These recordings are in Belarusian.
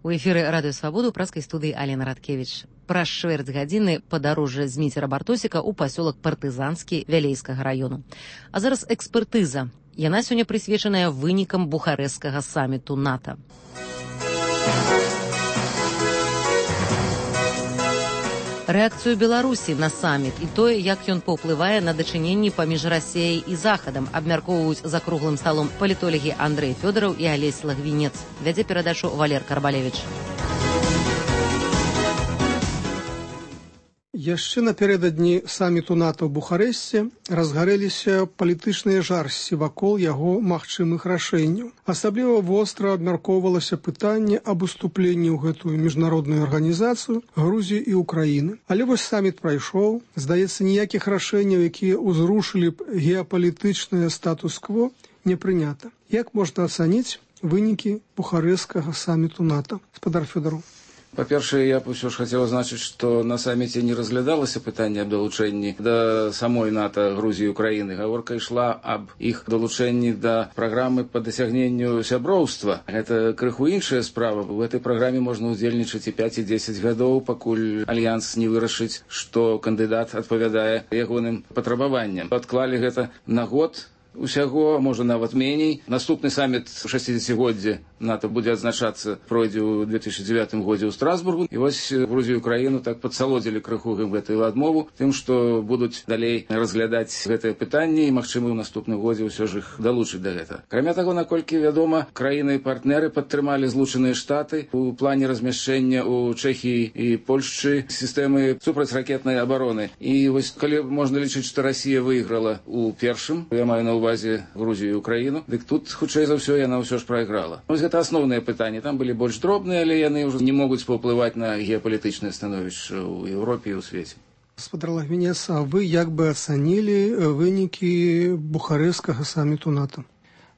У эфіры радыё Свабоду ў праскай студыі Алена Радкевіч. Праз чвэрць гадзіны падарожжа з Міцера-Бартосіка ў пасёлак Партызанскі Вялейскага раёну. А зараз экспертыза. Яна сёння прысвечаная вынікам бухарэсцкага саміту НАТО. Рэакцыю Беларусі на саміт і тое, як ён паўплывае на дачыненні паміж Расіяй і Захадам, абмяркоўваюць за круглым сталом палітолагі Андрэй Фёдараў і Алесь Лагвінец. Вядзе перадачу Валер Карбалевіч. Яшчэ напярэдадні саміту НАТО ў Бухарэсце разгарэліся палітычныя жарсці вакол яго магчымых рашэнняў. Асабліва востра абмяркоўвалася пытанне аб уступленні ў гэтую міжнародную арганізацыю Грузіі і Украіны. Але вось саміт прайшоў. Здаецца, ніякіх рашэнняў, якія ўзрушылі б геапалітычнае статус-кво, не прынята. Як можна ацаніць вынікі бухарэсцкага саміту НАТО? Гаспадар Фёдараў. Па-першае, я б усё ж хацеў азначыць, што на саміце не разглядалася пытанне аб далучэнні да самой НАТО Грузіі і Украіны. Гаворка ішла аб іх далучэнні да праграмы па дасягненню сяброўства. Гэта крыху іншая справа. У гэтай праграме можна ўдзельнічаць і 5, і 10 гадоў, пакуль альянс не вырашыць, што кандыдат адпавядае ягоным патрабаванням. Адклалі гэта на год. Усяго, можа, нават меней. Наступны саміт у 60-годдзе НАТО будзе адзначацца, пройдзе ў 2009 годзе ў Страсбургу. І вось Грузію і Украіну так падсалодзілі крыху гэтую адмову тым, што будуць далей разглядаць гэтае пытанне і, магчыма, ў наступным годзе ўсё ж іх далучыць да гэтага. Акрамя таго, наколькі вядома, краіны і партнеры падтрымалі Злучаныя Штаты у плане размяшчэння ў Чэхіі і Польшчы сістэмы супрацьракетнай абароны. І вось калі можна лічыць, што Расія выйграла у першым, я маю на ўвазе Грузію і Украіну, дык тут, хутчэй за ўсё, яна ўсё ж прайграла. Вось гэта асноўнае пытанне. Там былі больш дробныя, але яны ўжо не могуць паўплываць на геапалітычнае становішча ў Еўропе і ў свеце. Гаспадар Лагвінец, а вы як бы ацанілі вынікі бухарэсцкага саміту НАТО?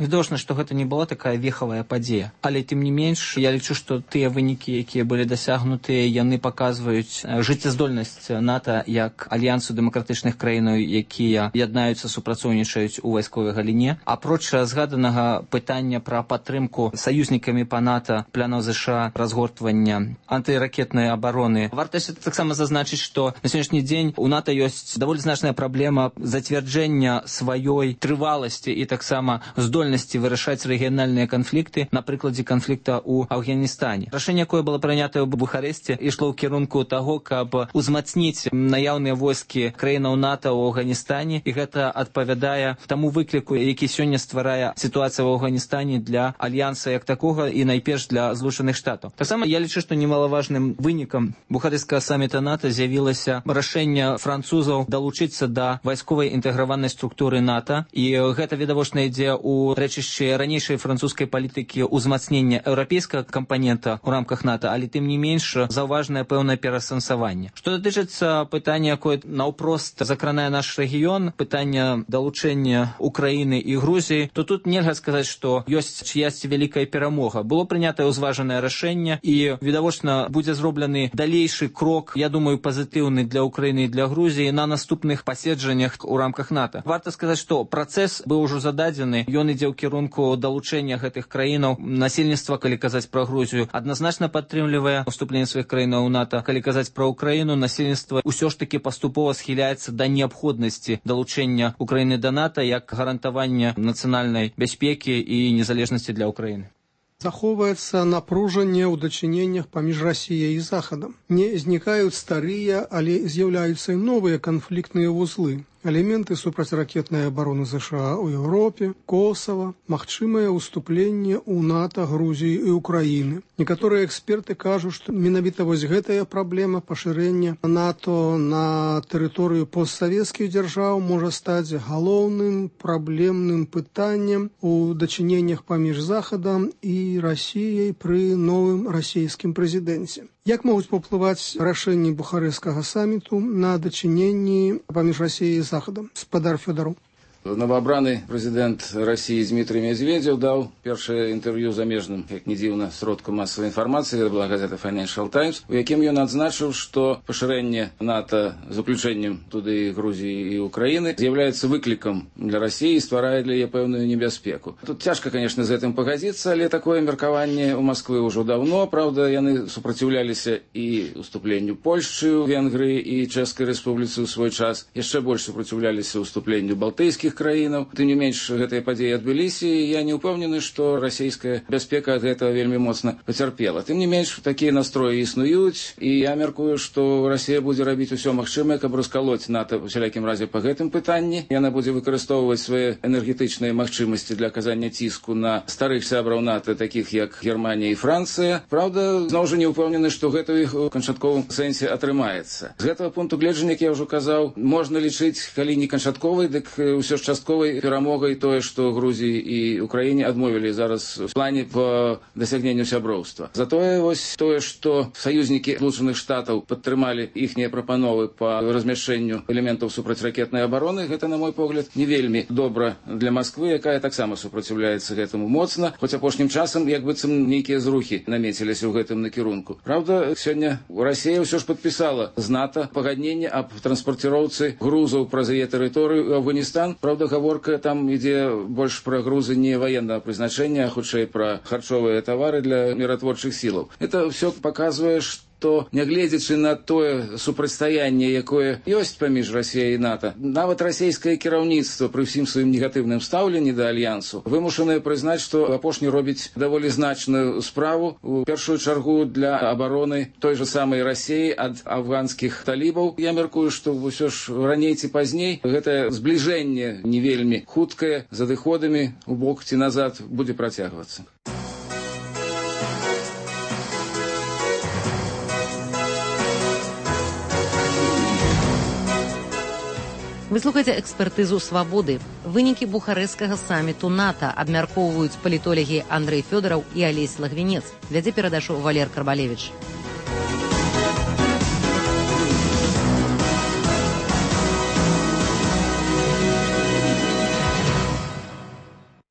Відавочна, што гэта не была такая вехавая падзея. Але, тым не менш, я лічу, што тыя вынікі, якія былі дасягнутыя, яны паказваюць жыццяздольнасць НАТО як альянсу дэмакратычных краінаў, якія яднаюцца, супрацоўнічаюць у вайсковай галіне. Апроч згаданага пытання пра падтрымку саюзнікамі па НАТО планаў ЗША разгортвання антыракетнай абароны, варта таксама зазначыць, што на сённяшні дзень у НАТО ёсць даволі значная праблема зацвярджэння сваёй трываласці і таксама здольнасці вырашаць рэгіянальныя канфлікты, на прыкладзе канфлікта ў Афганістане. Рашэнне, якое было прынятае ў Бухарэсце, ішло ў кірунку таго, каб узмацніць наяўныя войскі краінаў НАТО ў Афганістане, і гэта адпавядае таму выкліку, які сёння стварае сітуацыя ў Афганістане для альянса як такога і найперш для Злучаных Штатаў. Таксама я лічу, што немалаважным вынікам бухарэсцкага саміта НАТО з'явілася рашэнне французаў далучыцца да вайсковай інтэграванай структуры НАТО, і гэта відавочна ідзе ў рэчышчы ранейшай французскай палітыкі ўзмацнення еўрапейскага кампанента ў рамках НАТО, але тым не менш заўважнае пэўнае пераасэнсаванне. Што датычыцца пытання, якое наўпрост закранае наш рэгіён, пытання далучэння Украіны і Грузіі, то тут нельга сказаць, што ёсць чыясьці вялікая перамога. Было прынятае ўзважанае рашэнне, і відавочна будзе зроблены далейшы крок, я думаю, пазітыўны для Украіны і для Грузіі на наступных паседжаннях у рамках НАТО. Варта сказаць, што працэс быў ужо зададзены, ён ідзе ў кірунку далучэння гэтых краінаў. Насельніцтва, калі казаць пра Грузію, адназначна падтрымлівае уступленне сваіх краінаў у НАТО. Калі казаць пра Украіну, насельніцтва ўсё ж такі паступова схіляецца да неабходнасці далучэння Украіны да НАТО як гарантавання нацыянальнай бяспекі і незалежнасці для Украіны. Захоўваецца напружанне ў дачыненнях паміж Расіяй і Захадам. Не знікаюць старыя, але з'яўляюцца і новыя канфліктныя вузлы. Элементы супрацьракетнай абароны ЗША ў Еўропе, Косава, магчымае ўступленне ў НАТО Грузіі і Украіны. Некаторыя эксперты кажуць, што менавіта вось гэтая праблема пашырэння НАТО на тэрыторыю постсавецкіх дзяржаў можа стаць галоўным праблемным пытаннем у дачыненнях паміж Захадам і Расіяй пры новым расійскім прэзідэнце. Як могуць паўплываць рашэнні бухарэсцкага саміту на дачыненні паміж Расіяй і Захадам? Гаспадар Фёдараў. Новоабраны прэзідэнт России Дмитрий Медведев даў першае інтэрв'ю замежным, як не дзіўна, сродкам масавай інфармацыі, гэта была газета Financial Times, у якім ён адзначыў, што пашырэнне НАТО з уключэннем туды Грузіі і Украіны з'яўляецца выклікам для России і стварае для яе пэўную небяспеку. Тут цяжка, конечно, з гэтым пагадзіцца, але такое меркаванне ў Масквы ўжо даўно. Праўда, яны супраціўляліся і уступленню Польшчы, Венгрыі і Чэшскай Рэспубліцы ў свой час, яшчэ больш супраціўляліся уступленню балтыйскіх краінаў. Тым не менш, гэтыя падзеі адбыліся, і я не ўпэўнены, што расійская бяспека ад гэтага вельмі моцна пацярпела. Тым не менш, такія настроі існуюць, і я мяркую, што Расія будзе рабіць усё магчымае, каб раскалоць НАТО ў усялякім разе па гэтым пытанні. Яна будзе выкарыстоўваць свае энергетычныя магчымасці для аказання ціску на старых сябраў НАТО, такіх як Германія і Францыя. Праўда, зноў жа не ўпэўнены, што гэта ў іх у канчатковым сэнсе атрымаецца. З гэтага пункту гледжання, як я ўжо казаў, можна лічыць, калі не канчатковай, дык ўсё ж частковай перамогай тое, што Грузіі і Украіне адмовілі зараз у плане па дасягненню сяброўства. Затое вось тое, што саюзнікі Злучаных Штатаў падтрымалі іхнія прапановы па размяшчэнню элементаў супрацьракетнай абароны, гэта, на мой погляд, не вельмі добра для Масквы, якая таксама супраціўляецца гэтаму моцна, хоць апошнім часам як быццам нейкія зрухі намеціліся ў гэтым накірунку. Праўда, сёння Расія ўсё ж падпісала з НАТО пагадненне аб транспарціроўцы грузаў праз яе тэрыторыю ў Афганістан. Праўда, гаворка там ідзе больш пра грузы не военного прызначэння, а хутчэй пра харчовыя тавары для міратворчых сілаў. Это ўсё паказвае, што нягледзячы на тое супрацьстаянне, якое ёсць паміж Расіяй і НАТО, нават расійскае кіраўніцтва пры ўсім сваім негатыўным стаўленні да альянсу вымушанае прызнаць, што апошні робіць даволі значную справу, у першую чаргу для абароны той жа самай Расіі ад афганскіх талібаў. Я мяркую, што ўсё ж раней ці пазней гэтае збліжэнне не вельмі хуткае, з адыходамі у бок ці назад будзе працягвацца. Вы слухаеце экспертызу «Свабоды». Вынікі бухарэсцкага саміту НАТО абмяркоўваюць палітолагі Андрэй Фёдараў і Алесь Лагвінец. Вядзе перадачу Валер Карбалевіч.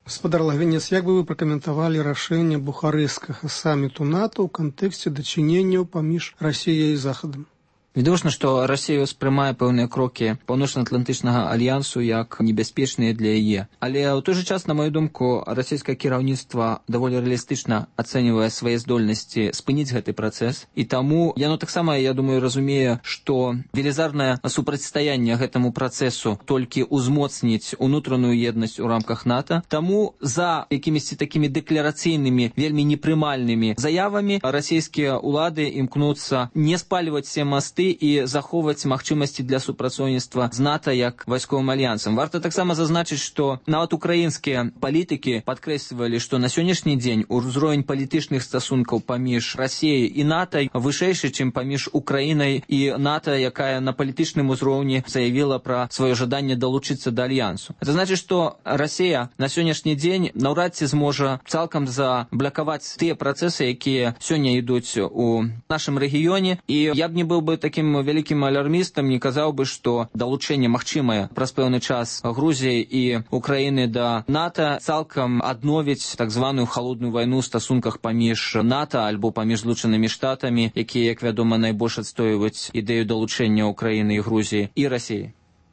Гаспадар Лагвінец, як бы вы пракаментавалі рашэнне бухарэсцкага саміту НАТО ў кантэксце дачыненняў паміж Расіяй і Захадам? Відавочна, што Расія ўспрымае пэўныя крокі Паўночна-Атлантычнага альянсу як небяспечныя для яе. Але ў той жа час, на маю думку, расійскае кіраўніцтва даволі рэалістычна ацэньвае свае здольнасці спыніць гэты працэс. І таму яно таксама, я думаю, разумее, што велізарнае супрацьстаянне гэтаму працэсу толькі ўзмоцніць унутраную еднасць у рамках НАТО. Таму за якімісьці такімі дэкларацыйнымі, вельмі непрымальнымі заявамі расійскія ўлады імкнуцца не спальваць все масты і захоўваць магчымасці для супрацоўніцтва з НАТО як вайсковым альянсам. Варта таксама зазначыць, што нават украінскія палітыкі падкрэслівалі, што на сённяшні дзень узровень палітычных стасункаў паміж Расіяй і НАТО вышэйшы, чым паміж Украінай і НАТО, якая на палітычным узроўні заявіла пра сваё жаданне далучыцца да альянсу. Это значыць, што Расія на сённяшні дзень наўрад ці зможа цалкам заблакаваць тыя працэсы, якія сёння ідуць у нашым рэгіёне. І я б не быў бы таким вялікім алярмістам, не казаў бы, што далучэнне магчымае праз пэўны час Грузіі і Украіны да НАТО цалкам адновіць так званую халодную вайну ў стасунках паміж НАТО альбо паміж Злучанымі Штатамі, якія, як вядома, найбольш адстойваюць ідэю далучэння Украіны і Грузіі і Расіі.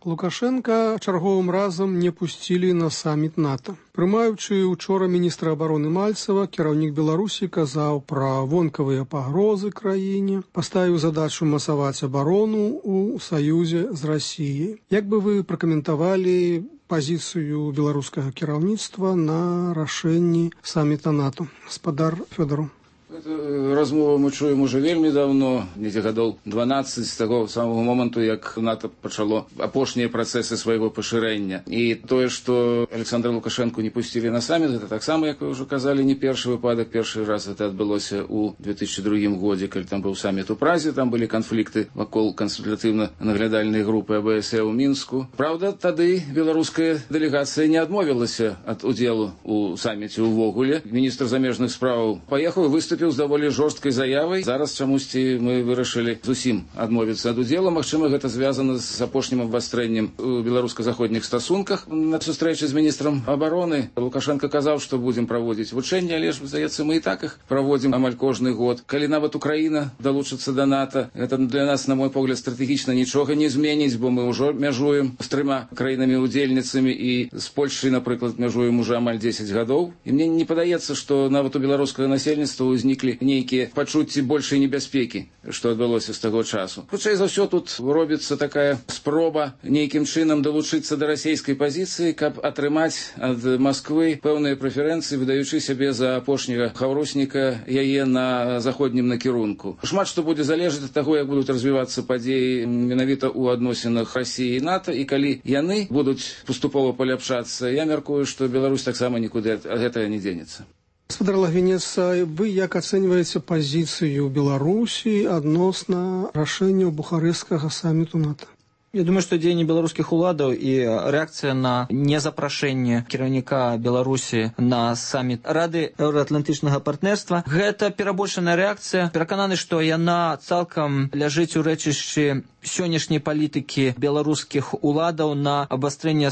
Лукашенка чарговым разам не пусцілі на саміт НАТО. Прымаючы учора міністра абароны Мальцева, кіраўнік Беларусі казаў пра вонкавыя пагрозы краіне, паставіў задачу масаваць абарону ў саюзе з Расіяй. Як бы вы пракаментавалі пазіцыю беларускага кіраўніцтва на рашэнні саміта НАТО? Гаспадар Фёдараў. Размову мы чуем уже вельмі давно, недзе гадоў 12 з таго самого моманту, як НАТО пачало апошнія працэсы свайго пашырэння. І тое, што Александра Лукашенко не пусцілі на саміт, гэта таксама, як вы ўжо казалі, не першы выпадак. Першы раз гэта адбылося ў 2002 годзе, калі там быў саміт у Празе, там былі канфлікты вакол кансультатыўна-наглядальнай групы АБСЕ ў Мінску. Праўда, тады беларуская дэлегацыя не адмовілася ад удзелу ў саміце ўвогуле. Міністр замежных справаў паехаў і выступіў выступіў з даволі жорсткай заявай. Зараз чамусьці мы вырашылі зусім адмовіцца ад удзелу. Магчыма, гэта звязана з апошнім абвастрэннем у беларуска-заходніх стасунках. На сустрэчы з міністрам абароны Лукашенко казаў, што будзем праводзіць вучэнні, але ж, здаецца, мы і так іх праводзім амаль кожны год. Калі нават Украіна далучыцца да НАТО, гэта для нас, на мой погляд, стратэгічна нічога не зменіць, бо мы ўжо мяжуем з 3 краінамі-удзельніцамі і з Польшай, напрыклад, мяжуем уже амаль 10 гадоў. І мне не падаецца, што нават у беларускага насельніцтва ўзніклі нейкія пачуцці большай небяспекі, што адбылося з таго часу. Хутчэй за ўсё тут робіцца такая спроба нейкім чынам далучыцца да расійскай пазіцыі, каб атрымаць ад Масквы пэўныя прэферэнцыі, выдаючы сябе за апошняга хаўрусніка яе на заходнім накірунку. Шмат што будзе залежаць ад таго, як будуць развівацца падзеі менавіта ў адносінах Расіі і НАТО, і калі яны будуць паступова паляпшацца, я мяркую, што Беларусь таксама нікуды ад гэтага не дзенецца. Господар Лагвінец, вы як ацэньваеце пазіцыю Беларусі адносна рашэнняў бухарэсцкага саміту НАТО? Я думаю, што дзеянні беларускіх уладаў і рэакцыя на незапрашэнне кіраўніка Беларусі на саміт Рады еўраатлантычнага партнерства – гэта перабольшаная рэакцыя. Перакананы, што яна цалкам ляжыць у рэчышчы сённяшняй палітыкі беларускіх уладаў на абвастрэнне